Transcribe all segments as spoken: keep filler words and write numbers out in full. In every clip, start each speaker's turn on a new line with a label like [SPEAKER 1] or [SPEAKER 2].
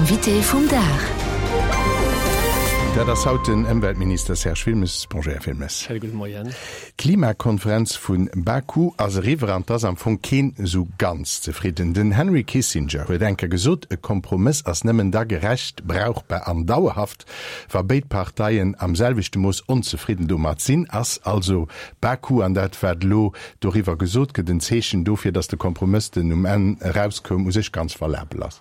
[SPEAKER 1] Invité vum Dag.
[SPEAKER 2] Dat ass haut den Ëmweltminister Serge Wilmes. Bonjour, Här Wilmes.
[SPEAKER 3] Schéine gudde Moien.
[SPEAKER 2] D'Klimakonferenz vu Baku ass eriwwer an 't ass am Fong keen esou ganz zefridden. Den Henry Kissinger huet eng Kéier gesot, E Kompromëss ass nëmmen da gerecht, brauchbar an dauerhaft, wa béid Parteien am selwechte Mooss onzefridden domat sinn. Ass also Baku an dat, wat elo doriwwer gesot gëtt, en Zeechen dofir, datt de Kompromëss, den um Enn erauskoum, u sech ganz valabel ass?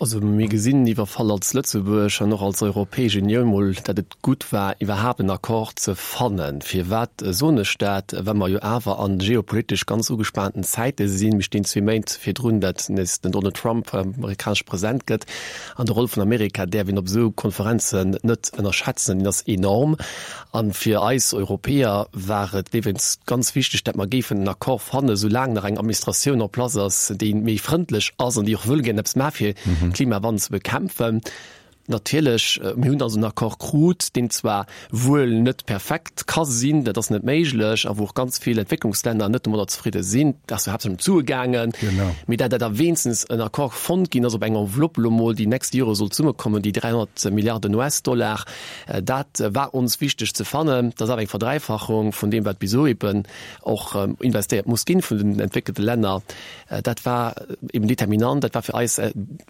[SPEAKER 3] Also mir gesinn iwwer Fall als Lëtzebuerg an och als Europäesch Unioun mol, datt et gutt war, iwwerhaapt en Accord ze fannen. Firwat soen ech dat? Well mer jo awer a geopolitesch ganz ugespaanten Zäite sinn. Mir stinn zwee Méint virdrun, datt nees den Donald Trump amerikanesche President gëtt. An de Roll vun Amerika däerf een op esou Konferenzen net ënnerschätzen, deen ass enorm. A fir eis Europäer war et iwwregens ganz wichteg, datt mer géifen en Accord fannen, soulaang nach eng Administratioun en place ass, déi méi frëndlech ass an déi och wëll gären eppes maache fir de Klimawandel ze bekämpfen. Natierlech, mir hunn also en Accord krut, deen zwar wuel net perfekt ka sinn, dat ass net méiglech, a wou och ganz vill Entwécklungslänner net domadder zefridde sinn, et ass jo haaptsächlech ëm d'Sue gaangen, mee dat dat da wéinstens en Accord fonnt ginn ass op eng Enveloppe elo mol, déi nächst Jore soll zesummekommen, déi dräihonnert Milliarden US-Dollar, dat war ons wichteg ze fannen. Dat ass awer eng Verdräifachung vun deem, wat bis elo eben och investéiert muss ginn vun den entwéckelte Länner. Dat war eben determinant, dat war fir eis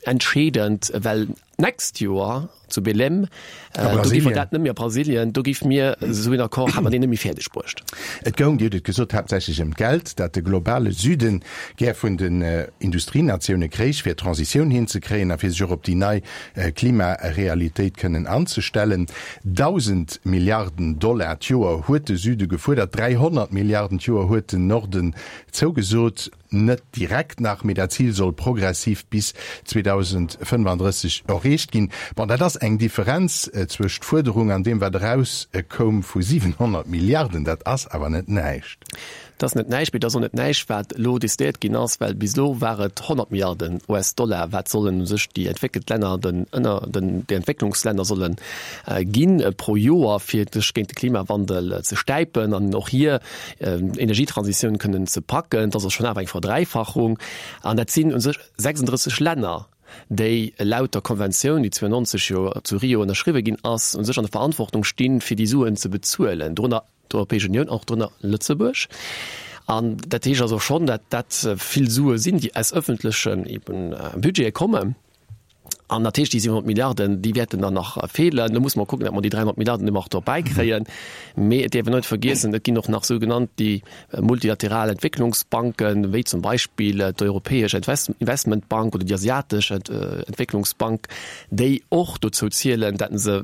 [SPEAKER 3] entscheedend, well d'nächst Joer zu Belém, do géife mer dat net méi, a Brasilien, do géife mir esou een Accord, hätte mer deen net méi fäerdeg bruecht.
[SPEAKER 2] Et goung, Dir hutt et gesot, haaptsächlech ëm d'Geld, dat de globale Süden gär vun den Industrienatioune kréich, fir d'Transitioun hinzekréien a fir sech och op déi nei Klimarealitéit kënnen anzestellen. Dausend Milliarden Dollar d'Joer huet de Süde gefuerdert, dräihonnert Milliarden d'Joer huet den Norden zougesot. Net direkt nach, mee dat Zil soll progressiv bis zweedausendfënnefandrësseg erreecht ginn. Bon, dat ass eng Differenz zwëscht Fuerderung an deem, wat erauskoum, vu siwenhonnert Milliarden. Dat ass awer net näischt.
[SPEAKER 3] Dat ass net näischt, mee dat ass och net näischt, wat elo decidéiert ginn ass, well bis elo war et honnert Milliarden US-Dollar, wat sollen u sech déi entwéckelt Länner den ënner den déi Entwécklungslänner solle ginn pro Joer, fir sech géint de Klimawandel ze stäipen an och hir Energietransitioun kënnen ze packen. Dat ass schonn awer eng Verdräifachung. An dat sinn u sech sechsunddrësseg Länner, déi laut der Konventioun, déi zwouennonzeg jo zu Rio ënnerschriwwe ginn ass, u sech an der Verantwortung stinn, fir déi Suen ze bezuelen, dorënner d'Europäesch Unioun, och dorënner Lëtzebuerg. An dat heescht also schonn, datt dat vill Sue sinn, déi aus ëffentlechen Budgete kommen. An dat heescht, déi siwenhonnert Milliarden, déi wäerten dann nach feelen. Do musse mer kucken, datt mer déi dräihonnert Milliarden ëmmer och dobäi kréien. Mee et däerf een net vergiessen, et ginn och nach sougenannt déi multilateral Entwécklungsbanken, wéi zum Beispill d'Europäesch Investmentbank oder déi Asiatesch Entwécklungsbank, déi och dozou zielen, datt se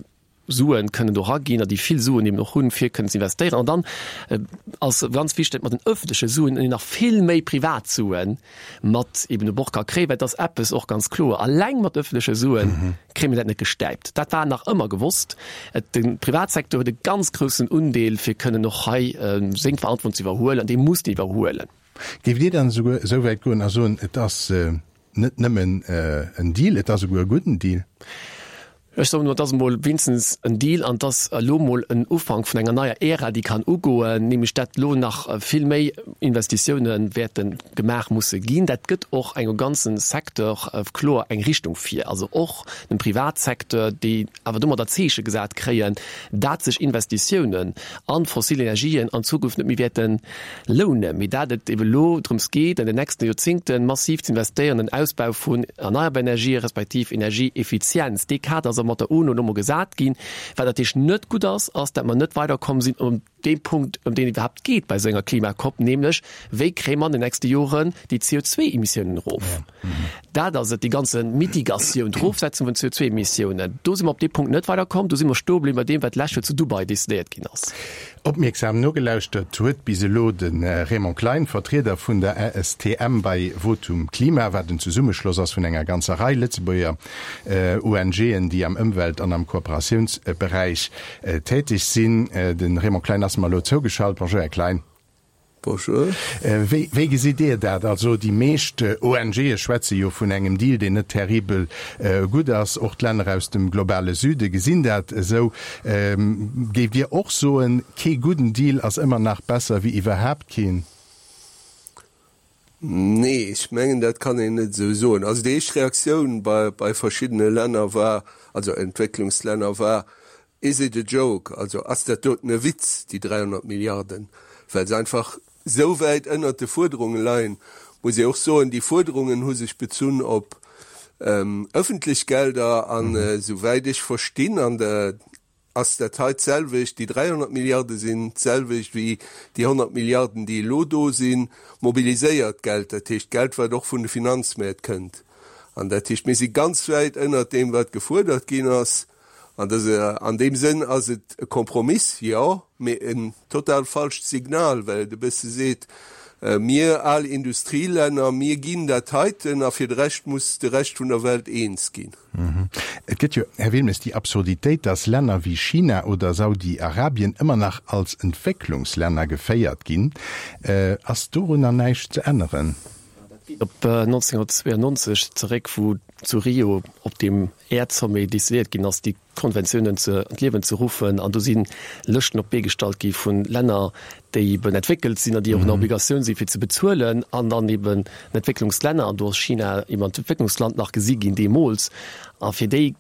[SPEAKER 3] Suen kënnen do eraginn a déi vill Suen eben och hunn, fir kënnen ze investéieren. An dann ass ganz wichteg, datt mat den öffentleche Suen een nach vill méi privat Suen mat eben u Bord ka kréien, well et ass eppes och ganz kloer, Alleng mat öffentleche Sue kréie mir dat net gestäipt. Dat war nach ëmmer gewosst. De Privatsecteur huet e ganz groussen Undeel, fir kënnen och hei seng Verantwortung ze iwwerhuelen, an déi muss en iwwerhuelen.
[SPEAKER 2] Géift Dir dann esouguer esou wäit goen a soen, et ass net nëmmen en Deal, et ass esouguer e gudden Deal?
[SPEAKER 3] Ech soen emol, et ass emol wéinstens en Deal an et ass elo emol en Ufank vun enger neier Ära, déi kann ugoen, nämlech dat elo nach vill méi Investitiounen wäerte gemaach musse ginn. Dat gëtt och engem ganze Secteur kloer eng Richtung vir, also och dem Privatsecteur, déi awer domadder Zeeche gesat kréien, dat sech Investitiounen a fossil Energien an Zukunft net méi wäerte lounen, mee dat et ebe elo drëms geet, an den nächste Joerzéngte massiv ze investéieren an den Ausbau vun erneierbar Energië respektiv Energieeffizienz. Dee Kader ass mat der UNO elo mol gesat ginn. Wat natierlech net gutt ass, ass, datt mer net weiderkomm sinn um deem Punkt, ëm deen et iwwerhaapt geet bei esou enger Klima-COP, nämlech, Wéi kréie mer an den nächste Joren déi C O zwei Emissiounen erof? Dat ass et, déi ganze Mitigatioun, d'Erofsetzung vun C O zwei Emissiounen. Do si mer op dee Punkt net weiderkomm. Do si mer stoe bliwwen bei deem, wat d'lescht Joer zu Dubai decidéiert ginn ass.
[SPEAKER 2] Opmierksam nogelauschtert huet bis elo de Raymond Klein, Vertrieder vun der A S T M bei Votum Klima, wat en Zesummeschloss ass vun enger ganzer Rei Lëtzebuerger O N G'en, déi am Ëmwelt an am Kooperatiounsberäich täteg sinn. De Raymond Klein ass mer elo zougeschalt. Bonjour, Här Klein.
[SPEAKER 4] Bonjour.
[SPEAKER 2] Wéi, wéi gesitt Dir dat? Also déi meescht O N G'e schwätze jo vun engem Deal, deen net terribel gutt ass. Och d'Länner aus dem globale Süde gesinn dat esou. Géift Dir och soen, kee gudden Deal ass ëmmer nach besser wéi iwwerhaapt keen?
[SPEAKER 1] Nee, ech mengen, dat kann een net esou soen. Also déi éischt Reaktioun bei, bei verschiddene Länner war, also Entwécklungslänner war, Is it a joke? Also ass dat doten e Witz, déi dräihonnert Milliarden? Well se einfach esou wäit ënnert de Fuerderunge leien. Muss ee och soen, déi Fuerderungen hu sech bezunn op ëffentlech Gelder an, esouwäit ech verstinn, an der ass dat hei d'selwecht, déi dräihonnert Milliarde sinn d'selwecht wéi déi honnert Milliarden, déi elo do sinn, mobiliséiert Geld, dat heescht Geld, wat och vun de Finanzmäert kënnt. An dat heescht, mir si ganz wäit ënnert deem, wat gefuerdert ginn ass. An dat, an deem Sënn ass et e Kompromiss, jo, mee en total falscht Signal, well et e bësse seet, Mir al Industrielänner, mir ginn dat heiten a fir de Rescht muss de Rescht vun der Welt eens ginn.
[SPEAKER 2] Et gëtt jo, Här Wilmes, déi Absurditéit, dass Länner wéi China oder Saudi-Arabien ëmmer nach als Entwécklungslänner geféiert ginn. Ass dorunner näischt ze änneren?
[SPEAKER 3] Dat geet op neunzehnhundertzweiundneunzeg zeréck, wou zu Rio op deem Äerdsommet decidéiert ginn ass, déi Konventiounen ze an d'Liewen ze ruffen. An do si Lëschten op d'Bee gestallt gi vu Länner, déi eben entwéckelt sinn an déi och an der Obligatioun sinn, fir ze bezuelen, an dann eben Entwécklungslänner. An do ass China eben als Entwécklungsland nach gesi ginn deemools. A fir déi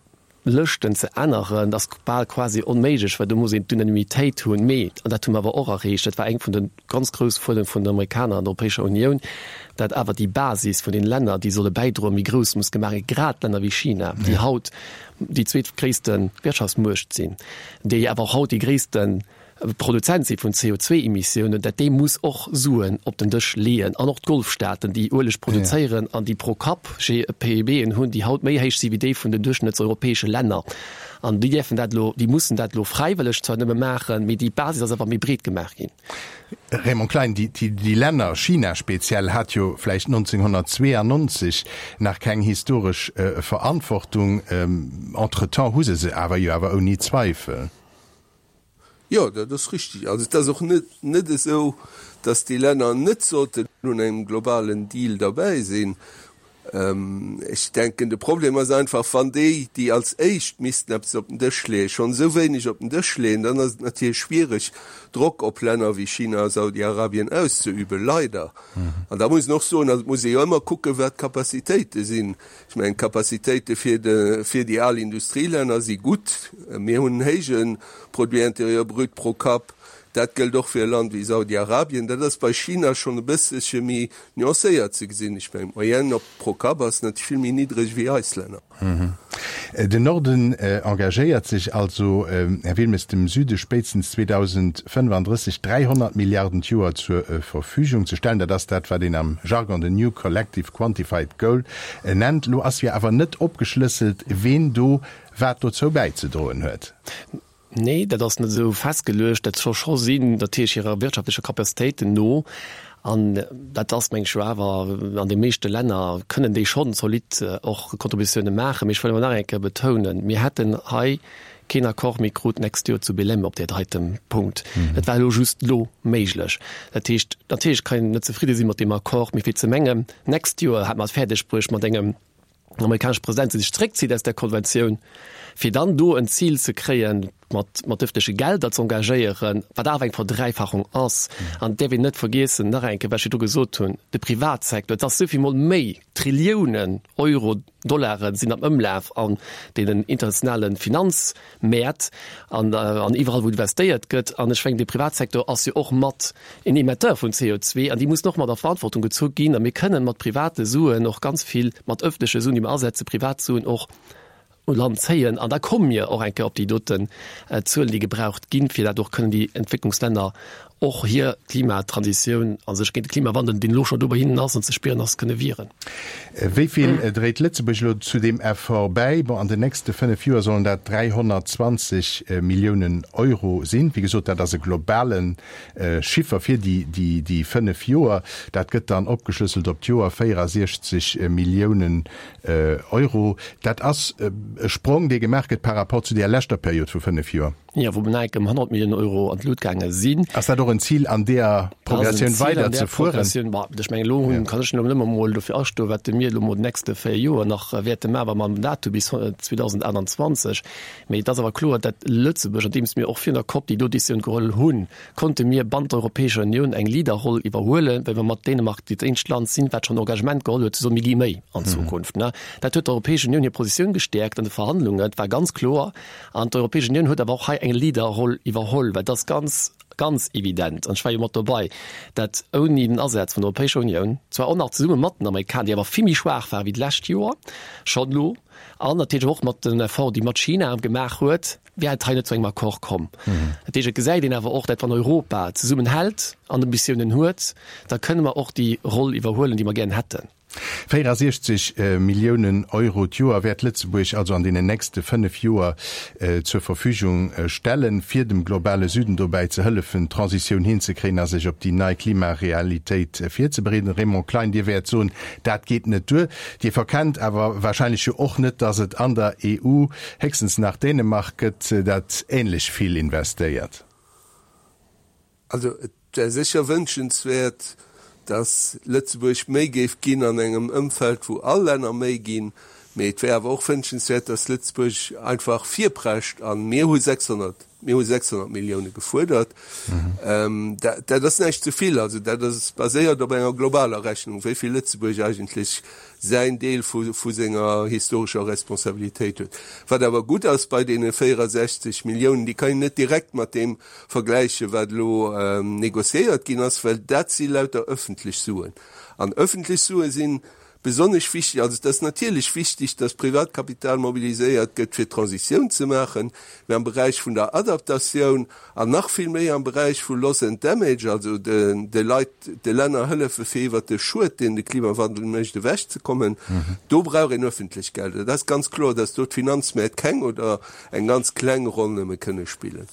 [SPEAKER 3] Lëschten ze änneren, ass bal quasi onméiglech, well do muss een d'Unanimitéit hunn. Mee, an dat hu mer awer och erreecht, dat war eng vun de ganz grouss Fuerderunge vun den Amerikaner an der Europäescher Unioun, dat awer déi Basis vun den Länner, déi solle bäidroen, méi grouss muss gemaach ginn, grad Länner wéi China, déi haut déi zweetgréisste Wirtschaftsmuecht sinn, déi awer och haut déi gréisste Produzent si vun C O zwei Emissiounen, dat déi muss och Suen op den Dësch leeën. An och d'Golfstaaten, déi Ueleg produzéieren an déi pro Kapp P I B'en hunn, déi haut méi héich si wéi déi vun den duerchschnëttseuropäesche Länner. An déi däerfen dat elo, déi mussen dat elo fräiwëlleg zwar nëmme maachen, mee déi Basis ass awer méi breet gemaach ginn.
[SPEAKER 2] Raymond Klein, déi, déi Länner, China speziell, hat jo vläicht neunzehnhundertzweiundneunzeg nach keng historesch Verantwortung. Entretemps hu se se awer jo awer ouni Zweifel.
[SPEAKER 1] Jo, dat ass richtig. Also et ass och net, net esou, datt déi Länner net sollten un engem globalen Deal derbäi sinn. Ech denken, de Problem ass einfach, wann déi, déi als éischt missten eppes op den Dësch leeën, schonn esou wéineg op den Dësch leeën, dann ass et natierlech schwierig, Drock op Länner wéi China a Saudi-Arabien auszeüben, leider. An da muss een och soen, also et muss ee jo ëmmer kucken, wat d'Capacitéite sinn. Ech mengen, d'Capacitéite fir de, fir déi al Industrielänner si gutt. Mir hunn en héije Produit intérieur brut pro Kapp. Dat gëllt och fir e Land wéi Saudi-Arabien. Dat ass bei China schonn e bësselche méi nuancéiert ze gesinn. Ech mengen, d'Moyenne op pro Kapp ass natierlech vill méi niddreg wéi eis Länner.
[SPEAKER 2] Den Norden engagéiert sech also, Här Wilmes, dem Süde spéitstens zweedausendfënnefandrësseg dräihonnert Milliarden d'Joer zur Verfügung ze stellen. Dat ass dat, wat een am Jargon den New Collective Quantified Goal nennt. Elo ass jo awer net opgeschlësselt, ween do wat dozou bäizedroen huet.
[SPEAKER 3] Nee, dat ass net esou festgeluecht. Dat soll scho sinn, natierlech hirer wirtschaftlecher Capacitéiten no. An dat ass, meng ech, jo awer an de meeschte Länner kënnen déi schonn zolidd och Contributioune maachen. Mee ech wëll awer nach eng Kéier betounen, Mir hätten hei keen Accord méi krut d'nächst Joer zu Belém op där heiten Punkt. Et war elo just elo méiglech. Dat heescht, natierlech kann een net zefridde si mat deem Accord, mee fir ze mengen, d'nächst Joer hätt mer et fäerdeg bruecht mat engem amerikanesche President, dee sech zréckzitt aus där Konventioun, fir dann do en Zil ze kréien, mat mat ëffentleche Gelder ze engagéieren, wat awer eng Verdräifachung ass. An et däerf een net vergiessen, nach eng Kéier, wat ech virdru gesot hunn, de Privatsecteur, et ass souvill mol méi, Trilliounen Euro, Dollare sinn am Ëmlaf an deenen internationale Finanzmäert an an iwwerall wou investéiert gëtt. An ech mengen, de Privatsecteur ass jo och mat en Emetteur vun C O zwee an déi mussen och mat a Verantwortung gezu ginn. A mir kënnen mat private Suen och ganz vill, mat ëffentleche Suen, déi mer asetzen, privat Suen och u Land zéien. An da komme mir och eng Kéier op déi doten Zuelen, déi gebraucht ginn, fir dat och kënnen déi Entwécklungslänner och hir Klimatransitioun a sech géint de Klimawandel, deen elo scho do bei hinnen ass an ze spieren ass, kënne wieren.
[SPEAKER 2] Wéi vill dréit Lëtzebuerg elo zu deem Effort bäi? Bon, an den nächste fënnef Joer sollen dat dräihonnertzwanzeg Milliounen Euro sinn. Wéi gesot, dat ass e globale Chiffer fir déi fënnef Joer. Dat gëtt dann opgeschlësselt op d'Joer véierasiechzeg Milliounen Euro. Dat ass e Sprong, dee gemaach gëtt par rapport zu där leschter Period vu fënnef Joer.
[SPEAKER 3] Jo, wou bal ëm honnert Milliounen Euro an d'Lut gaange sinn.
[SPEAKER 2] Ass dat och en Zil an deeër Progressioun weider ze fueren?
[SPEAKER 3] Ech mengen, elo hunn, kann ech elo nëmme emol dofir astoen, wat mir elo emol déi nächste véier Joer nach wäerte maachen, wa mer dat hu bis zweedausendaachtanzwanzeg. Mee et ass awer kloer, datt Lëtzebuerg, andeems mir och virun der COP déi do Décisioun geholl hunn, konnte mir bannent der Europäescher Unioun eng Leaderroll iwwerhuelen, well mir mat Dänemark dat eenzegt Land sinn, wat schonn Engagement geholl huet ze soen, mir gi méi an Zukunft. Dat huet d'Europäesch Unioun hir Positioun gestäerkt an de Verhandlungen, et war ganz kloer. An d'Europäesch Unioun huet awer och hei eng Leaderroll iwwerholl, well et ass ganz, ganz evident, an ech war jo mat dobei, dat ouni den Asaz vun der Europäescher Unioun, zwar och nach zesumme mat den Amerikaner, déi awer vill méi schwaach ware wéi d'lescht Joer schonn elo, an natierlech och mat den Effort, déi mat China gemaach huet, wär et hei net zu engem Accord komm. Dat heescht, et gesäit een awer och, dat wann Europa zesummenhält an Ambitiounen huet, da kënne mer och déi Roll iwwerhuelen, déi mer gären hätten.
[SPEAKER 2] véierasiechzeg Milliounen Euro d'Joer wäert Lëtzebuerg also an deenen nächste fënnef Joer zur Verfügung stellen, fir dem globale Süden dobäi ze hëllefen, d'Transitioun hinzekréien a sech op déi nei Klimarealitéit virzebereeden. Raymond Klein, Dir wäert soen, dat geet net duer. Dir verkennt awer wahrscheinlech jo och net, datt et an der E U héchstens nach Dänemark gëtt, dat ähnlech vill investéiert.
[SPEAKER 1] Also et wär sécher wënschenswäert, datt Lëtzebuerg méi géif ginn an engem Ëmfeld, wou all Länner méi ginn. Mee et wär awer och wënschenswäert, datt Lëtzebuerg einfach virprescht. A mir hu sechshonnert, mir hu sechshonnert Millioune gefuerdert. Dat ass näischt ze vill. Also dat ass baséiert op enger globaler Rechnung, wéi vill Lëtzebuerg eigentlech säin Deel vu vu senger historescher Responsabilitéit huet. Wat awer gutt ass bei deene véierasechzeg Milliounen, déi kann een net direkt mat deem vergläichen, wat elo négociéiert ginn ass, well dat si lauter öffentlech Suen. An öffentlech Sue sinn besonnesch wichteg. Also et ass natierlech wichteg, dass Privatkapital mobiliséiert gëtt, fir d'Transitioun ze maachen, mä am Beräich vun der Adaptatioun an nach vill méi am Beräich vu Loss and Damage, also de Leit, de Länner hëllefe fir iwwert de Schued, deen de Klimawandel mécht, ewechzekommen, do brauch een öffentlech Gelder. Dat ass ganz kloer, dass do d'Finanzmäert keng oder eng ganz kleng Roll nëmme kënne spillen.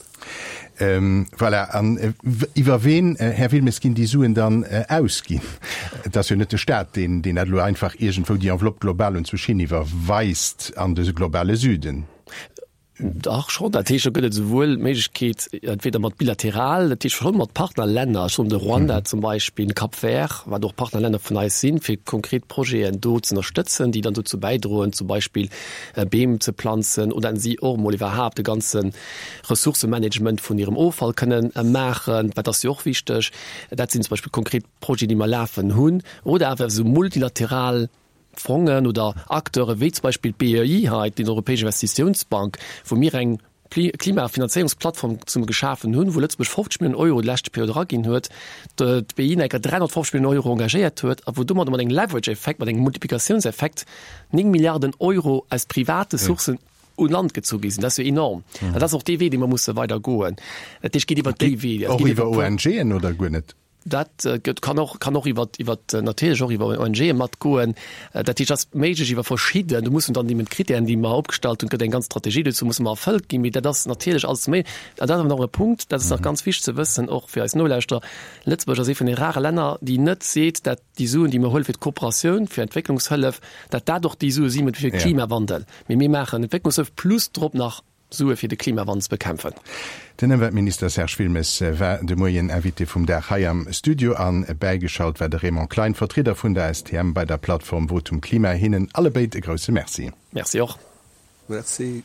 [SPEAKER 2] Voilà. An iwwer ween, Här Wilmes, ginn déi Suen dann ausginn? Et ass jo net de Staat, deen dat elo einfach iergendwou déi Enveloppe global unzwousch hin iwwerweist an de globale Süden.
[SPEAKER 3] Dach, schonn. Dat heescht, do gëtt et esouwuel d'Méiglechkeet, entweder mat bilateral, dat heescht schonn mat Partnerlänner, ech soen de Ruanda zum Beispill, Cap Vert, wat och Partnerlänner vun eis sinn, fir konkret Projeten do ze ënnerstëtzen, déi dann dozou bäidroen, zum Beispill Beem ze planzen oder si och emol iwwerhaapt de ganze Ressourcemanagement vun hirem Offall kënnen maachen, dat ass jo och wichteg. Dat sinn zum Beispill konkret Projeten, déi mer lafen hunn. Oder awer esou multilateral Fongen oder Acteure wéi zum Beispill d'B E I hei, déi Europäesch Investitiounsbank, wou mir eng Klimafinanzéierungsplattform zesumme geschafen hunn, wou Lëtzebuerg fofzeg Milliounen Euro déi leschte Period eraginn huet, d'B E I nach eng Kéier dräihonnertfofzeg Milliounen Euro engagéiert huet a wou domadder mat engem Leverage-Effekt, mat engem Multiplikatiounseffekt néng Milliarden Euro aus private Sourcen un Land gezu gi sinn. Dat ass jo enorm. An dat ass och dee Wee, dee mer musse weider goen. Dat heescht, et geet iwwer déi Wee.
[SPEAKER 2] Och iwwer O N Gen oder guer net?
[SPEAKER 3] Dat gëtt, kann och, kann och iwwer, iwwer, natierlech och iwwer O N Ge matgoen. Dat heescht, ass méiglech iwwer verschidden, do mussen dann eben d'Kritären, déi mer opgestallt hunn, gëtt eng ganz Strategie dozou, musse mer erfëllt ginn. Mee dat ass natierlech alles méi. An dat ass awer nach e Punkt, dat ass nach ganz wichteg ze wëssen, och fir eis Nolauschterer, Lëtzebuerg ass ee vun de rare Länner, déi net seet, dat déi Suen, déi mer huele fir d'Kooperatioun, fir Entwécklungshëllef, dat dat och déi Sue si fir de Klimawandel. Mee mir maachen Entwécklungshëllef plus drop nach Sue fir de Klimawandel ze bekämpfen.
[SPEAKER 2] Den Ëmweltminister Serge Wilmes war de Moien Invité vum Dag hei am Studio an bäigeschalt war de Raymond Klein, Vertrieder vun der S T M bei der Plattform Votum Klima. Hinnen allebéid e grousse Merci.
[SPEAKER 3] Merci och.
[SPEAKER 1] Merci.